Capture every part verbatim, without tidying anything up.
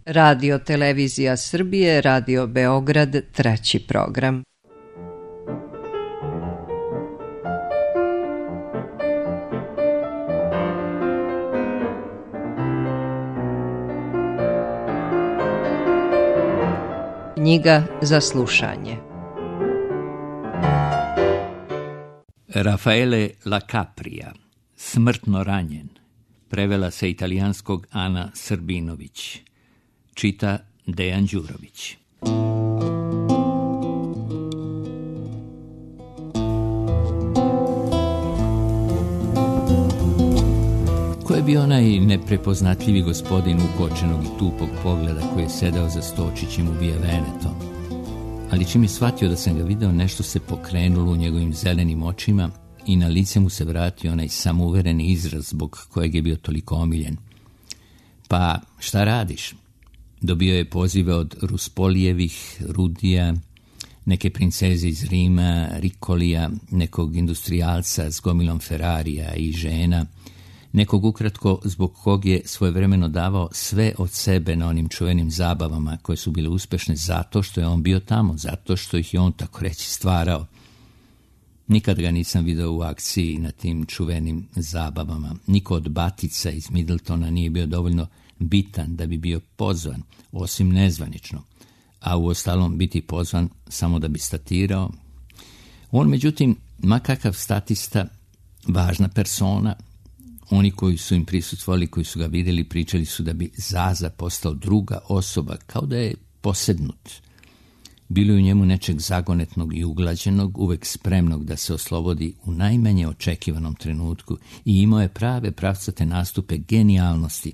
Radio Televizija Srbije, Radio Beograd, treći program. Knjiga za slušanje. Raffaele La Capria, Smrtno ranjen, prevela sa italijanskog Ana Srbinović, čita Dejan Đurović. Ko je bio onaj neprepoznatljivi gospodin ukočenog i tupog pogleda koji je sedao za stočićem u Via Veneto? Ali čim je shvatio da sam ga video, nešto se pokrenulo u njegovim zelenim očima i na lice mu se vratio onaj samouvereni izraz zbog kojeg je bio toliko omiljen. Pa, šta radiš? Dobio je pozive od Ruspolijevih, Rudija, neke princeze iz Rima, Rikolija, nekog industrijalca s gomilom Ferrarija i žena, nekog ukratko zbog kog je svojevremeno davao sve od sebe na onim čuvenim zabavama koje su bile uspešne zato što je on bio tamo, zato što ih je on tako reći stvarao. Nikad ga nisam video u akciji na tim čuvenim zabavama. Niko od batica iz Middletona nije bio dovoljno bitan da bi bio pozvan, osim nezvanično, a u ostalom biti pozvan samo da bi statirao. On, međutim, ma kakav statista, važna persona, oni koji su im prisustvovali, koji su ga vidjeli, pričali su da bi Zaza postao druga osoba, kao da je posednut. Bilo je u njemu nečeg zagonetnog i uglađenog, uvek spremnog da se oslobodi u najmanje očekivanom trenutku i imao je prave pravcate nastupe genijalnosti,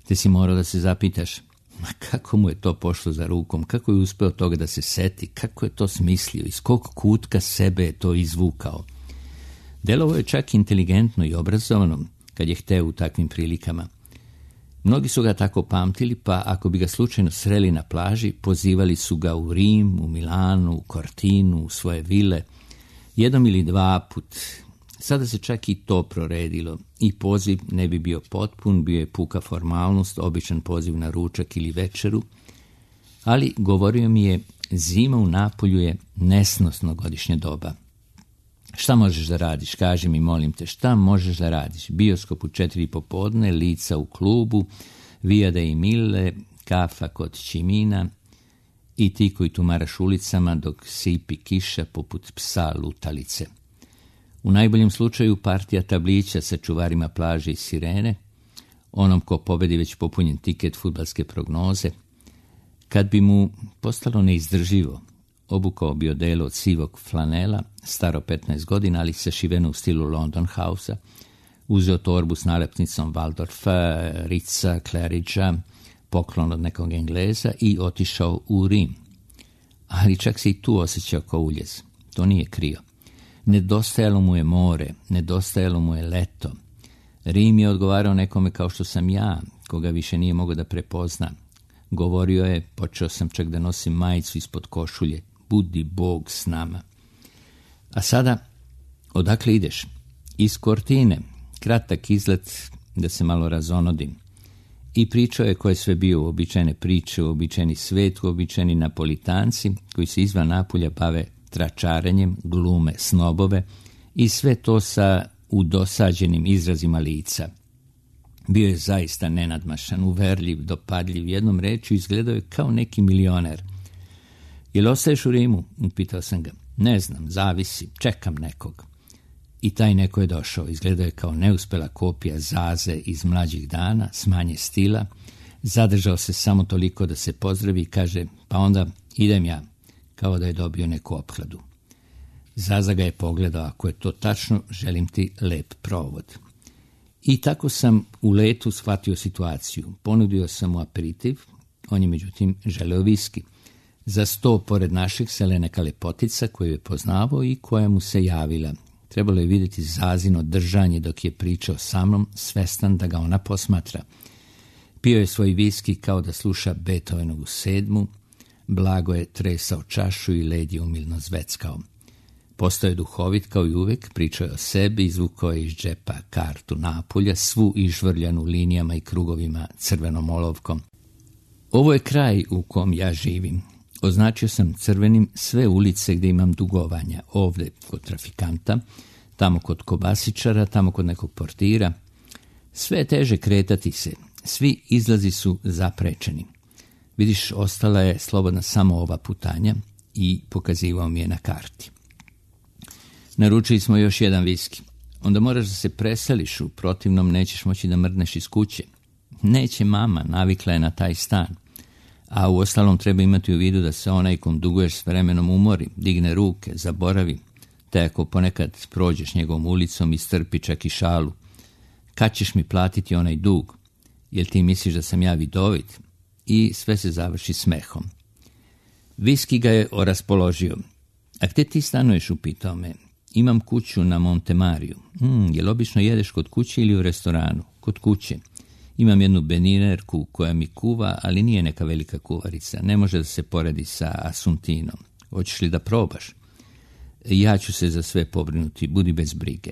te si morao da se zapitaš, ma kako mu je to pošlo za rukom, kako je uspeo toga da se seti, kako je to smislio, iz kog kutka sebe je to izvukao. Delovo je čak inteligentno i obrazovano kad je hteo u takvim prilikama. Mnogi su ga tako pamtili, pa ako bi ga slučajno sreli na plaži, pozivali su ga u Rim, u Milanu, u Cortinu, u svoje vile, jednom ili dva put. Sada se čak i to proredilo i poziv ne bi bio potpun, bio je puka formalnost, običan poziv na ručak ili večeru, ali govorio mi je, zima u Napolju je nesnosno godišnje doba. Šta možeš da radiš? Kaži mi, molim te, šta možeš da radiš? Bioskop u četiri popodne, lica u klubu, Via dei Mille, kafa kod Čimina i ti koji tumaraš ulicama dok sipi kiša poput psa lutalice. U najboljem slučaju partija tablića sa čuvarima plaže i sirene, onom ko pobedi već popunjen tiket fudbalske prognoze. Kad bi mu postalo neizdrživo, obukao bi odelo od sivog flanela, staro petnaest godina, ali sašiveno u stilu London House-a, uzeo torbu s nalepnicom Waldorfa, Ritza, Claridgea, poklon od nekog Engleza i otišao u Rim. Ali čak se i tu osjećao kao uljez. To nije krio. Nedostajalo mu je more, nedostajalo mu je leto. Rim je odgovarao nekome kao što sam ja, koga više nije mogao da prepozna. Govorio je, počeo sam čak da nosim majicu ispod košulje, budi Bog s nama. A sada, odakle ideš? Iz Cortine, kratak izlet da se malo razonodim. I pričao je ko je sve bio, uobičajene priče, uobičajeni svet, uobičajeni Napolitanci, koji se izvan Napulja bave tračarenjem, glume snobove i sve to sa udosađenim izrazima lica. Bio je zaista nenadmašan, uverljiv, dopadljiv, jednom rečju izgledao je kao neki milioner. Jel ostaješ u Rimu? Upitao sam ga. Ne znam, zavisi, čekam nekog. I taj neko je došao, izgledao je kao neuspela kopija Zaze iz mlađih dana, s manje stila, zadržao se samo toliko da se pozdravi i kaže, pa onda idem ja, kao da je dobio neku opkladu. Zaza ga je pogledao, ako je to tačno, želim ti lep provod. I tako sam u letu shvatio situaciju. Ponudio sam mu aperitiv, on je međutim želeo viski. Za sto pored naših sela neka lepotica koju je poznavao i koja mu se javila. Trebalo je vidjeti Zazino držanje dok je pričao sa mnom, svestan da ga ona posmatra. Pio je svoj viski kao da sluša Beethovenovu sedmu, blago je tresao čašu i led je umilno zveckao. Postao je duhovit kao i uvek, pričao je o sebi, izvukao je iz džepa kartu Napulja, svu izžvrljanu linijama i krugovima crvenom olovkom. Ovo je kraj u kom ja živim. Označio sam crvenim sve ulice gdje imam dugovanja. Ovdje kod trafikanta, tamo kod kobasičara, tamo kod nekog portira. Sve je teže kretati se. Svi izlazi su zaprečeni. Vidiš, ostala je slobodna samo ova putanja i pokazivao mi je na karti. Naručili smo još jedan viski. Onda moraš da se preseliš, u protivnom nećeš moći da mrdneš iz kuće. Neće mama, navikla je na taj stan. A u ostalom treba imati u vidu da se onaj kom duguješ s vremenom umori, digne ruke, zaboravi, te ako ponekad prođeš njegovom ulicom i strpi čak i šalu. Kad ćeš mi platiti onaj dug? Jel ti misliš da sam ja vidovit? I sve se završi smehom. Viski ga je oraspoložio. A gdje ti stanuješ, upitao me. Imam kuću na Montemariju. Hmm, jel obično jedeš kod kuće ili u restoranu? Kod kuće. Imam jednu beninerku koja mi kuva, ali nije neka velika kuvarica. Ne može da se poredi sa Asuntinom. Hoćeš li da probaš? Ja ću se za sve pobrinuti, budi bez brige.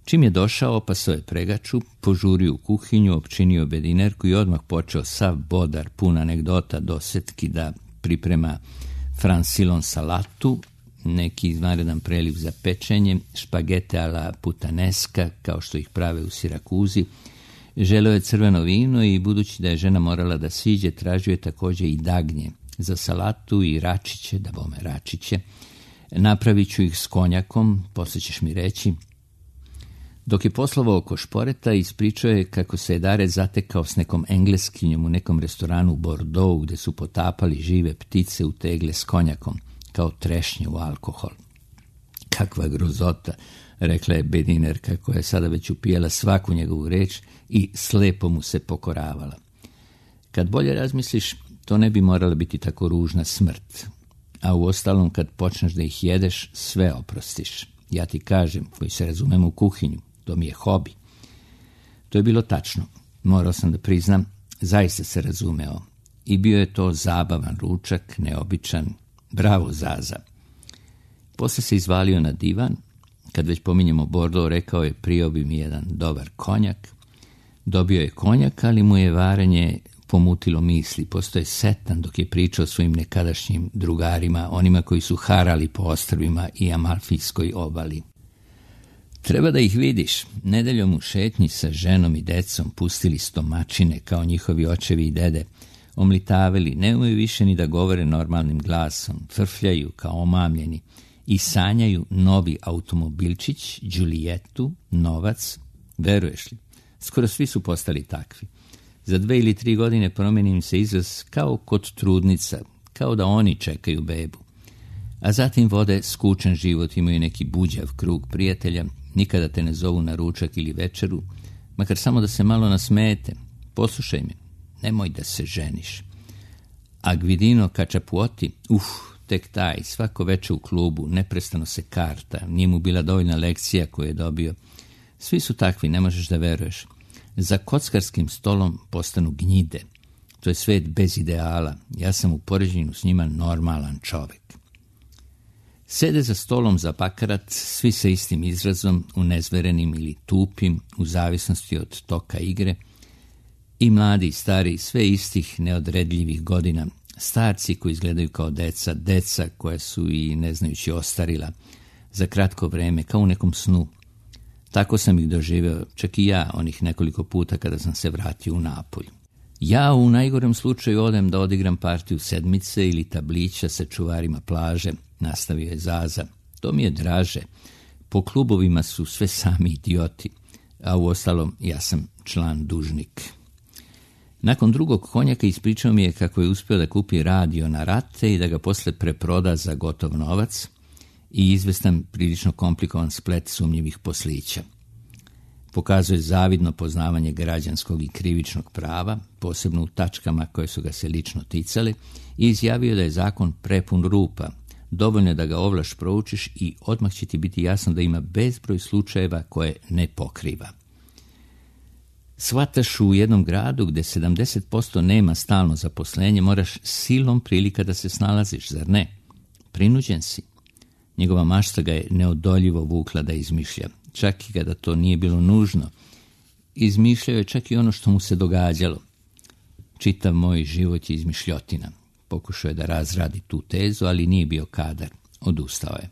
Čim je došao, opasao je pregaču, požurio u kuhinju, opčinio bedinerku i odmah počeo sav bodar, pun anegdota, dosetki da priprema fransilon salatu, neki izvanredan preliv za pečenje, špagete ala putaneska, kao što ih prave u Sirakuzi. Želeo je crveno vino i budući da je žena morala da siđe, tražio je također i dagnje za salatu i račiće, da bome račiće. Napravit ću ih s konjakom, poslije ćeš mi reći. Dok je poslovao oko šporeta, ispričao je kako se je Dare zatekao s nekom Engleskinjom u nekom restoranu u Bordeaux, gdje su potapali žive ptice u tegle s konjakom, kao trešnje u alkohol. Kakva grozota, rekla je bedinerka koja je sada već upijala svaku njegovu reč i slepo mu se pokoravala. Kad bolje razmisliš, to ne bi morala biti tako ružna smrt. A u ostalom, kad počneš da ih jedeš, sve oprostiš. Ja ti kažem, koji se razumem u kuhinju, to mi je hobi. To je bilo tačno. Morao sam da priznam, zaista se razumeo. I bio je to zabavan ručak, neobičan. Bravo, Zaza. Posle se izvalio na divan. Kad već pominjemo Bordeaux, rekao je, prijao bi mi jedan dobar konjak. Dobio je konjak, ali mu je varenje pomutilo misli. Postoje setan dok je pričao svojim nekadašnjim drugarima, onima koji su harali po ostrvima i Amalfijskoj obali. Treba da ih vidiš. Nedeljom u šetnji sa ženom i decom pustili stomačine kao njihovi očevi i dede. Omlitavili, ne umeju više ni da govore normalnim glasom, frfljaju kao omamljeni i sanjaju novi automobilčić, Đulijetu, novac. Veruješ li? Skoro svi su postali takvi. Za dve ili tri godine promeni im se izraz kao kod trudnica, kao da oni čekaju bebu. A zatim vode skučan život, imaju neki buđav krug prijatelja, nikada te ne zovu na ručak ili večeru, makar samo da se malo nasmejete. Poslušaj me, nemoj da se ženiš. A Gvidino Kačapuoti, uf, tek taj, svako veče u klubu, neprestano se karta, nije mu bila dovoljna lekcija koju je dobio. Svi su takvi, ne možeš da veruješ. Za kockarskim stolom postanu gnjide. To je svet bez ideala. Ja sam u poređenju s njima normalan čovek. Sede za stolom za bakarat, svi sa istim izrazom, unezverenim ili tupim, u zavisnosti od toka igre. I mladi i stari, sve istih neodredljivih godina. Starci koji izgledaju kao deca, deca koja su i ne znajući ostarila. Za kratko vreme, kao u nekom snu. Tako sam ih doživeo, čak i ja, onih nekoliko puta kada sam se vratio u Napolj. Ja u najgorem slučaju odem da odigram partiju sedmice ili tablića sa čuvarima plaže, nastavio je Zaza. To mi je draže. Po klubovima su sve sami idioti, a u ostalom ja sam član dužnik. Nakon drugog konjaka ispričao mi je kako je uspio da kupi radio na rate i da ga posle preproda za gotov novac i izvestan prilično komplikovan splet sumnjivih poslića. Pokazuje zavidno poznavanje građanskog i krivičnog prava, posebno u tačkama koje su ga se lično ticale, i izjavio da je zakon prepun rupa, dovoljno da ga ovlaš proučiš i odmah će ti biti jasno da ima bezbroj slučajeva koje ne pokriva. Shvataš, u jednom gradu gde sedamdeset posto nema stalno zaposlenje, moraš silom prilika da se snalaziš, zar ne? Prinuđen si. Njegova mašta ga je neodoljivo vukla da izmišlja, čak i kada to nije bilo nužno. Izmišljao je čak i ono što mu se događalo. čitav moj život je izmišljotina. Pokušao je da razradi tu tezu, ali nije bio kadar. Odustao je.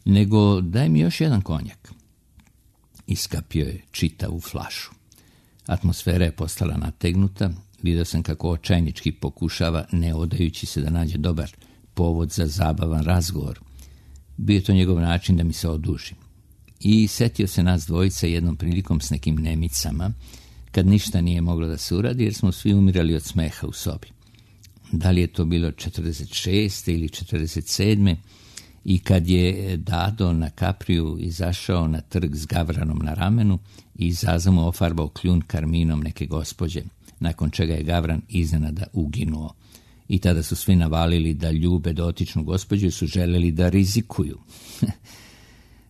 Nego daj mi još jedan konjak. Iskapio je čitavu flašu. Atmosfera je postala nategnuta. Vidio sam kako očajnički pokušava, ne odajući se da nađe dobar povod za zabavan razgovor. Bio je to njegov način da mi se oduži. I setio se nas dvojica jednom prilikom s nekim nemicama, kad ništa nije moglo da se uradi, jer smo svi umirali od smeha u sobi. Da li je to bilo četrdeset šeste ili četrdeset sedme i kad je Dado na Kapriju izašao na trg s gavranom na ramenu i Zaza mu ofarbao kljun karminom neke gospođe, nakon čega je gavran iznenada uginuo. I tada su svi navalili da ljube dotičnu gospođu i su želeli da rizikuju.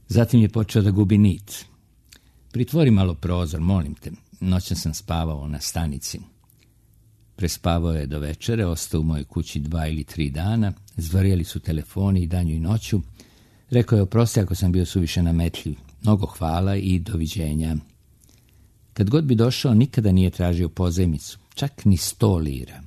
Zatim je počeo da gubi nit. Pritvori malo prozor, molim te. Noćan sam spavao na stanici. Prespavao je do večere, ostao u mojoj kući dva ili tri dana, zvrjeli su telefoni i danju i noću. Rekao je oprosti ako sam bio suviše nametljiv. Mnogo hvala i doviđenja. Kad god bi došao, nikada nije tražio pozajmicu, čak ni sto lira.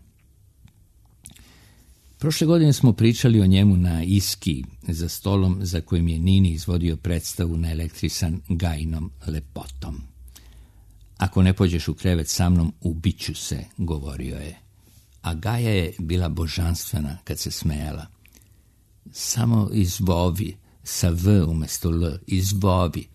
Prošle godine smo pričali o njemu na Iski, za stolom za kojim je Nini izvodio predstavu na elektrisan Gajinom lepotom. Ako ne pođeš u krevet sa mnom, ubiću se, govorio je. A Gaja je bila božanstvena kad se smejala. Samo izvovi, sa V umjesto L, izvovi.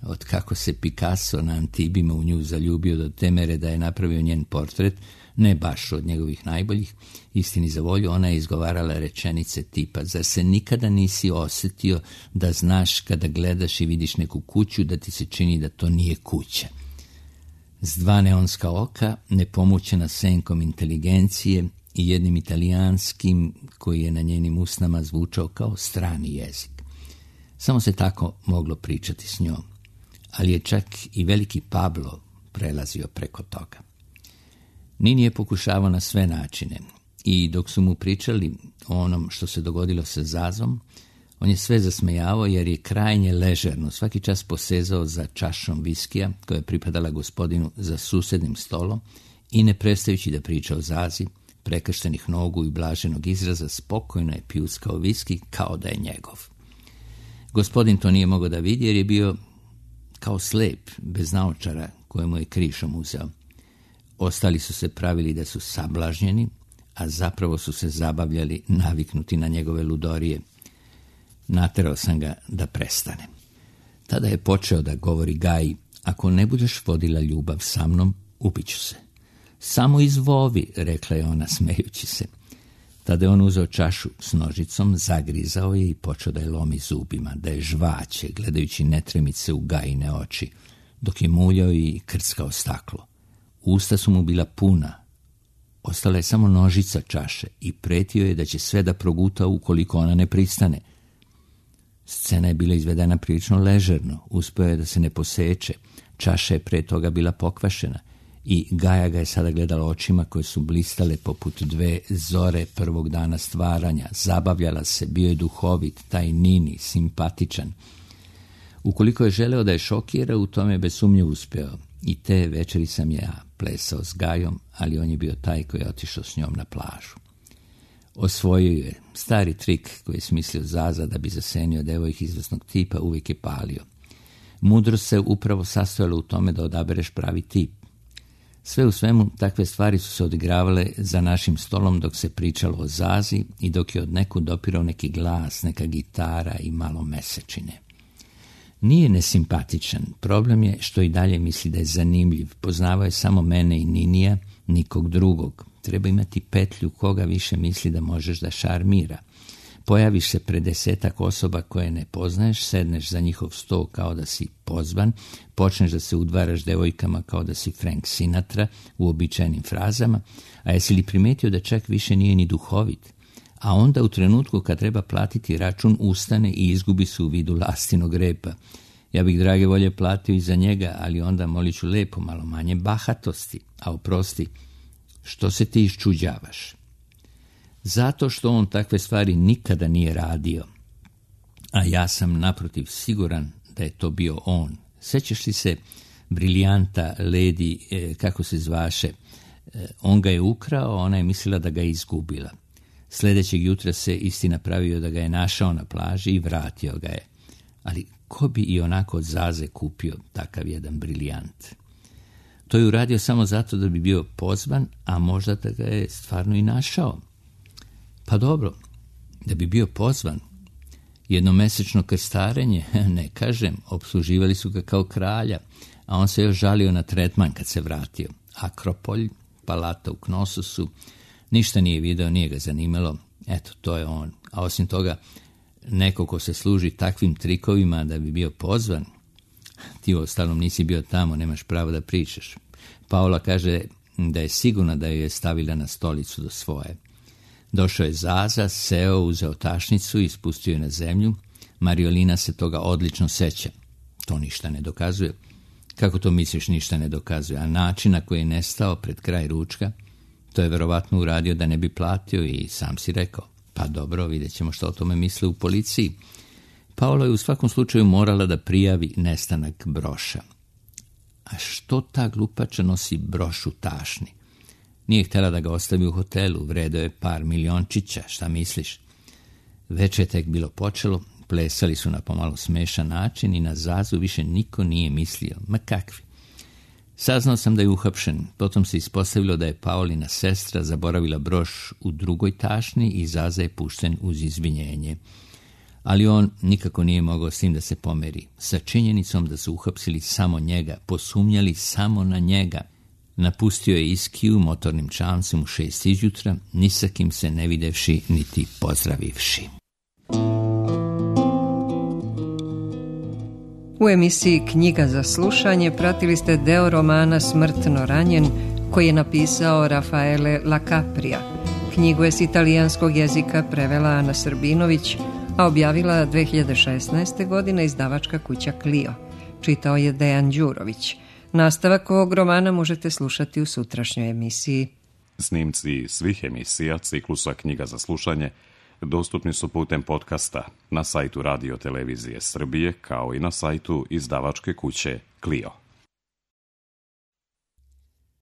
Od kako se Picasso na Antibima u nju zaljubio do te mere da je napravio njen portret, ne baš od njegovih najboljih, istini za volju, ona je izgovarala rečenice tipa: zar se nikada nisi osjetio da znaš kada gledaš i vidiš neku kuću da ti se čini da to nije kuća? S dva neonska oka, nepomućena senkom inteligencije i jednim italijanskim koji je na njenim usnama zvučao kao strani jezik. Samo se tako moglo pričati s njom, ali je čak i veliki Pablo prelazio preko toga. Nini je pokušavao na sve načine i dok su mu pričali o onom što se dogodilo sa Zazom, on je sve zasmejavao jer je krajnje ležerno svaki čas posezao za čašom viskija koja je pripadala gospodinu za susednim stolom i ne prestajući da priča o Zazi, prekrštenih nogu i blaženog izraza, spokojno je pljuskao viski kao da je njegov. Gospodin to nije mogao da vidi jer je bio kao slep, bez naočara koje mu je krišom uzeo. Ostali su se pravili da su sablažnjeni, a zapravo su se zabavljali naviknuti na njegove ludorije. Naterao sam ga da prestane. Tada je počeo da govori Gaji: ako ne budeš vodila ljubav sa mnom, ubiću se. Samo izvovi, rekla je ona smejući se. Tada je on uzeo čašu s nožicom, zagrizao je i počeo da je lomi zubima, da je žvaće, gledajući netremice u Gajine oči, dok je muljao i krckao staklo. Usta su mu bila puna. Ostala je samo nožica čaše i pretio je da će sve da proguta ukoliko ona ne pristane. Scena je bila izvedena prilično ležerno, uspeo je da se ne poseče, čaša je pre toga bila pokvašena i Gaja ga je sada gledala očima koje su blistale poput dve zore prvog dana stvaranja, zabavljala se, bio je duhovit, taj Nini, simpatičan. Ukoliko je želeo da je šokira, u tome je bez sumnje uspeo. I te večeri sam ja plesao s Gajom, ali on je bio taj koji je otišao s njom na plažu. Osvojio je stari trik koji je smislio Zaza da bi zasenio devojke izvesnog tipa, uvijek je palio. Mudrost se upravo sastojala u tome da odabereš pravi tip. Sve u svemu, takve stvari su se odigravale za našim stolom dok se pričalo o Zazi i dok je od nekud dopirao neki glas, neka gitara i malo mesečine. Nije nesimpatičan, problem je što i dalje misli da je zanimljiv. Poznavao je samo mene i Ninija, nikog drugog. Treba imati petlju koga više misli da možeš da šarmira. Pojaviš se pred desetak osoba koje ne poznaješ, sedneš za njihov sto kao da si pozvan, počneš da se udvaraš devojkama kao da si Frank Sinatra u običajnim frazama, a jesi li primetio da čak više nije ni duhovit? A onda u trenutku kad treba platiti račun ustane i izgubi se u vidu lastinog repa. Ja bih drage volje platio i za njega, ali onda moliću lepo, malo manje bahatosti, a oprosti, što se ti iščuđavaš? Zato što on takve stvari nikada nije radio, a ja sam naprotiv siguran da je to bio on. Sećaš li se briljanta lady, eh, kako se zvaše, On ga je ukrao, ona je mislila da ga je izgubila. Sljedećeg jutra se istina pravio da ga je našao na plaži i vratio ga je. Ali ko bi i onako od Zaze kupio takav jedan brilijant? To je uradio samo zato da bi bio pozvan, a možda da ga je stvarno i našao. Pa dobro, da bi bio pozvan. Jednomesečno krstarenje, ne kažem, opsluživali su ga kao kralja, a on se još žalio na tretman kad se vratio. Akropolj, palata u Knososu, ništa nije video, nije ga zanimalo. Eto, to je on. A osim toga, neko ko se služi takvim trikovima da bi bio pozvan, ti u ostalom nisi bio tamo, nemaš pravo da pričaš. Paola kaže da je sigurna da ju je stavila na stolicu do svoje. Došao je Zaza, seo, uzeo tašnicu i spustio je na zemlju. Mariolina se toga odlično seća. To ništa ne dokazuje. Kako to misliš ništa ne dokazuje? A način na koji je nestao pred kraj ručka, to je verovatno uradio da ne bi platio i sam si rekao. Pa dobro, vidjet ćemo što o tome misle u policiji. Paola je u svakom slučaju morala da prijavi nestanak broša. A što ta glupača nosi broš u tašni? Nije htjela da ga ostavi u hotelu, vredo je par miliončića, šta misliš? Već je tek bilo počelo, plesali su na pomalo smešan način i na Zazu više niko nije mislio. Ma kakvi? Saznao sam da je uhapšen, potom se ispostavilo da je Paolina sestra zaboravila broš u drugoj tašni i Zaza je pušten uz izvinjenje. Ali on nikako nije mogao s tim da se pomeri. Sa činjenicom da su uhapsili samo njega, posumnjali samo na njega. Napustio je Iskiju motornim čamcem u šest izjutra, ni sa kim se ne videvši niti pozdravivši. U emisiji Knjiga za slušanje pratili ste deo romana Smrtno ranjen koji je napisao Rafaele Lacaprija. Knjigu je s italijanskog jezika prevela Ana Srbinović, a objavila dve hiljade šesnaeste. godine izdavačka kuća Clio. Čitao je Dejan Đurović. Nastavak ovog romana možete slušati u sutrašnjoj emisiji. Snimci svih emisija ciklusa Knjiga za slušanje dostupni su putem podcasta na sajtu Radio Televizije Srbije kao i na sajtu izdavačke kuće Clio.